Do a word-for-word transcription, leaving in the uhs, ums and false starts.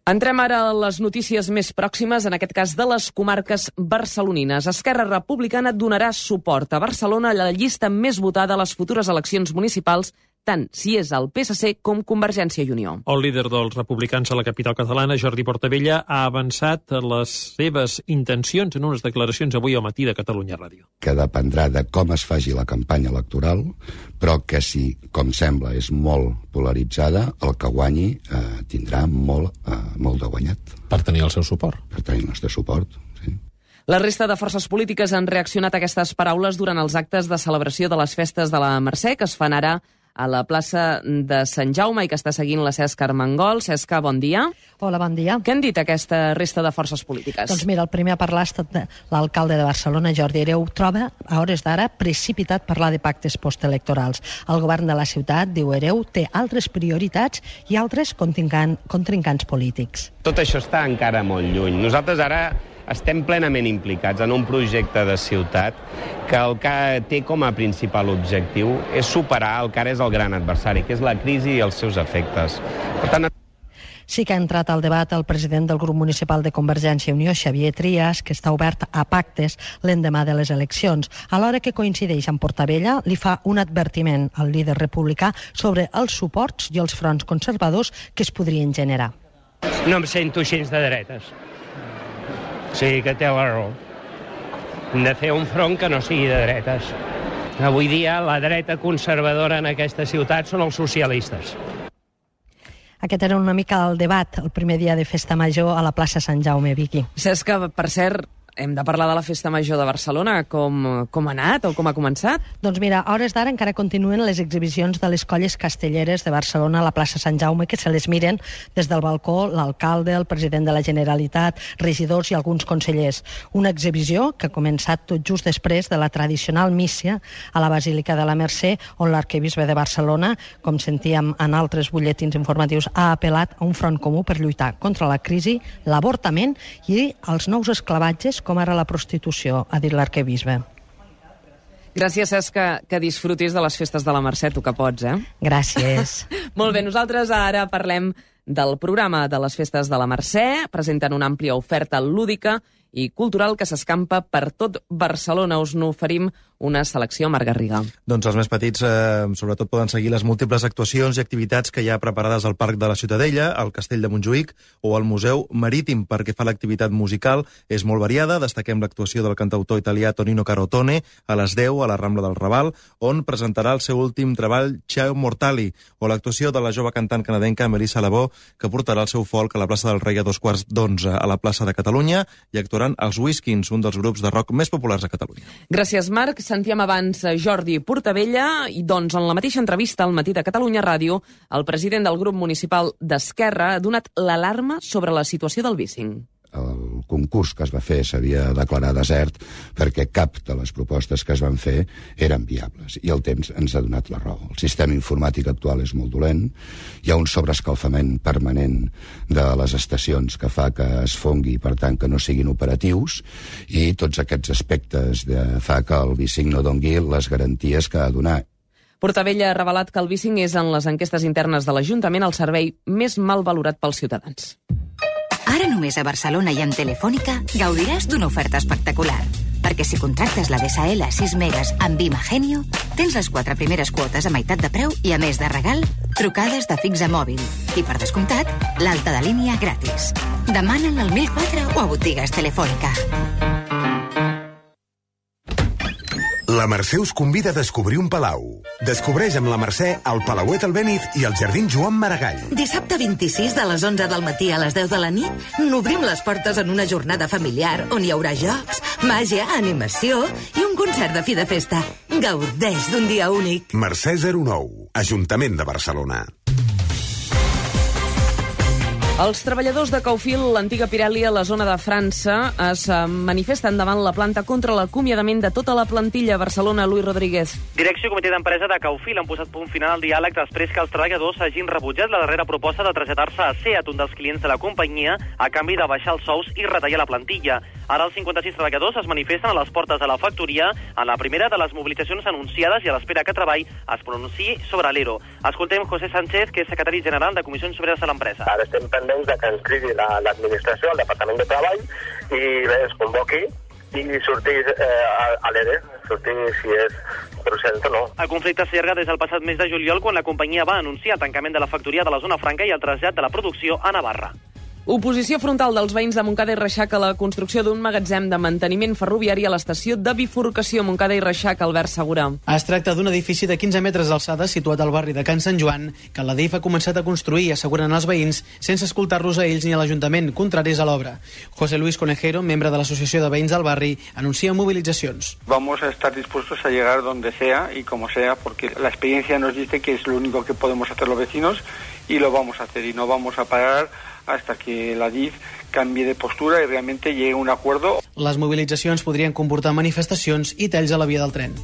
Entrem ara a les notícies més pròximes, en aquest cas de les comarques barcelonines. Esquerra Republicana donarà suport a Barcelona a la llista més votada a les futures eleccions municipals, tant si és el P S C com Convergència i Unió. El líder dels republicans a la capital catalana, Jordi Portabella, ha avançat les seves intencions en unes declaracions avui al matí de Catalunya Ràdio. Que dependrà de com es faci la campanya electoral, però que si, com sembla, és molt polaritzada, el que guanyi eh, tindrà molt, eh, molt de guanyat. Per tenir el seu suport. Per tenir el nostre suport, sí. La resta de forces polítiques han reaccionat a aquestes paraules durant els actes de celebració de les festes de la Mercè, que es fan ara a la plaça de Sant Jaume i que està seguint la Cesc Armengol. Cesca, bon dia. Hola, bon dia. Què han dit aquesta resta de forces polítiques? Doncs mira, el primer a parlar ha estat l'alcalde de Barcelona, Jordi Hereu, troba a hores d'ara precipitat parlar de pactes postelectorals. El govern de la ciutat, diu Hereu, té altres prioritats i altres contrincants polítics. Tot això està encara molt lluny. Nosaltres ara estem plenament implicats en un projecte de ciutat que el que té com a principal objectiu és superar el que ara és el gran adversari, que és la crisi i els seus efectes. Per tant, sí que ha entrat al debat el president del grup municipal de Convergència i Unió, Xavier Trias, que està obert a pactes l'endemà de les eleccions. Alhora que coincideix amb Portabella, li fa un advertiment al líder republicà sobre els suports i els fronts conservadors que es podrien generar. No em sento gens de dretes. Sí, que té la raó. Hem de fer un front que no sigui de dretes. Avui dia la dreta conservadora en aquesta ciutat són els socialistes. Aquest era una mica el debat el primer dia de Festa Major a la plaça Sant Jaume, Vicky. Saps que, per cert, hem de parlar de la Festa Major de Barcelona. Com, com ha anat o com ha començat? Doncs mira, a hores d'ara encara continuen les exhibicions de les colles castelleres de Barcelona a la plaça Sant Jaume, que se les miren des del balcó l'alcalde, el president de la Generalitat, regidors i alguns consellers. Una exhibició que ha començat tot just després de la tradicional míssia a la Basílica de la Mercè, on l'arquebisbe de Barcelona, com sentíem en altres butlletins informatius, ha apel·lat a un front comú per lluitar contra la crisi, l'avortament i els nous esclavatges, com ara la prostitució, ha dit l'arquebisbe. Gràcies, Cesca, que disfrutis de les festes de la Mercè, tu que pots, eh? Gràcies. Molt bé, nosaltres ara parlem del programa de les festes de la Mercè. Presenten una àmplia oferta lúdica i cultural que s'escampa per tot Barcelona. Us n'oferim una selecció, Marc Garriga. Doncs els més petits, eh, sobretot, poden seguir les múltiples actuacions i activitats que hi ha preparades al Parc de la Ciutadella, al Castell de Montjuïc o al Museu Marítim. Perquè fa l'activitat musical és molt variada. Destaquem l'actuació del cantautor italià Tonino Carotone a les deu a la Rambla del Raval, on presentarà el seu últim treball Ciao Mortali, o l'actuació de la jove cantant canadenca Melissa Labó, que portarà el seu folk a la plaça del Rei a dos quarts d'onze a la plaça de Catalunya, i actuaran els Whiskins, un dels grups de rock més populars a Catalunya. Gràcies, Marc. Sentíem abans Jordi Portabella i, doncs, en la mateixa entrevista al matí de Catalunya Ràdio, el president del grup municipal d'Esquerra ha donat l'alarma sobre la situació del bicing. El concurs que es va fer s'havia de declarar desert perquè cap de les propostes que es van fer eren viables, i el temps ens ha donat la raó. El sistema informàtic actual és molt dolent, hi ha un sobreescalfament permanent de les estacions que fa que es fongui, per tant que no siguin operatius, i tots aquests aspectes de fa que el bicing no dongui les garanties que ha de donar. Portabella ha revelat que el bicing és en les enquestes internes de l'Ajuntament el servei més mal valorat pels ciutadans. Ara només a Barcelona i amb Telefònica gaudiràs d'una oferta espectacular. Perquè si contractes la D S L sis megas amb Imagenio, tens les quatre primeres quotes a meitat de preu i, a més de regal, trucades de fix a mòbil. I, per descomptat, l'alta de línia gratis. Demana'l al mil quatre o a botigues Telefònica. La Mercè us convida a descobrir un palau. Descobreix amb la Mercè el Palauet Albéniz i el Jardí Joan Maragall. Dissabte vint-i-sis de les onze del matí a les deu de la nit n'obrim les portes en una jornada familiar on hi haurà jocs, màgia, animació i un concert de fi de festa. Gaudeix d'un dia únic. Mercè zero nou, Ajuntament de Barcelona. Els treballadors de Caufil, l'antiga Pirelli a la zona de França, es manifesten davant la planta contra l'acomiadament de tota la plantilla a Barcelona. Luis Rodríguez. Direcció i comitè d'empresa de Caufil han posat punt final al diàleg després que els treballadors hagin rebutjat la darrera proposta de traslladar-se a SEAT, un dels clients de la companyia, a canvi de baixar els sous i retallar la plantilla. Ara els cinquanta-sis treballadors es manifesten a les portes de la factoria en la primera de les mobilitzacions anunciades i a l'espera que Treball es pronunciï sobre l'E R O. Escoltem José Sánchez, que és secretari general de Comissions Obreres a l'empresa. Ara estem pendents almenys de que ens cridi l'administració, el Departament de Treball, i bé, es convoqui i sortir eh, a l'E R E, sortir si és procedent o no. El conflicte s'allarga des del passat mes de juliol, quan la companyia va anunciar el tancament de la factoria de la zona franca i el trasllat de la producció a Navarra. Oposició frontal dels veïns de Montcada i Reixac a la construcció d'un magatzem de manteniment ferroviari a l'estació de bifurcació Montcada i Reixac, Albert Segura. Es tracta d'un edifici de quinze metres d'alçada situat al barri de Can Sant Joan, que la D I F ha començat a construir, asseguren els veïns, sense escoltar-los a ells ni a l'Ajuntament, contraris a l'obra. José Luis Conejero, membre de l'Associació de Veïns del Barri, anuncia movilitzacions. Vamos a estar dispuestos a llegar donde sea y como sea, porque la experiencia nos dice que es lo único que podemos hacer los vecinos y lo vamos a hacer y no vamos a parar hasta que la D I F canvi de postura i realment llegue a un acord. Les mobilitzacions podrien comportar manifestacions i talls a la via del tren.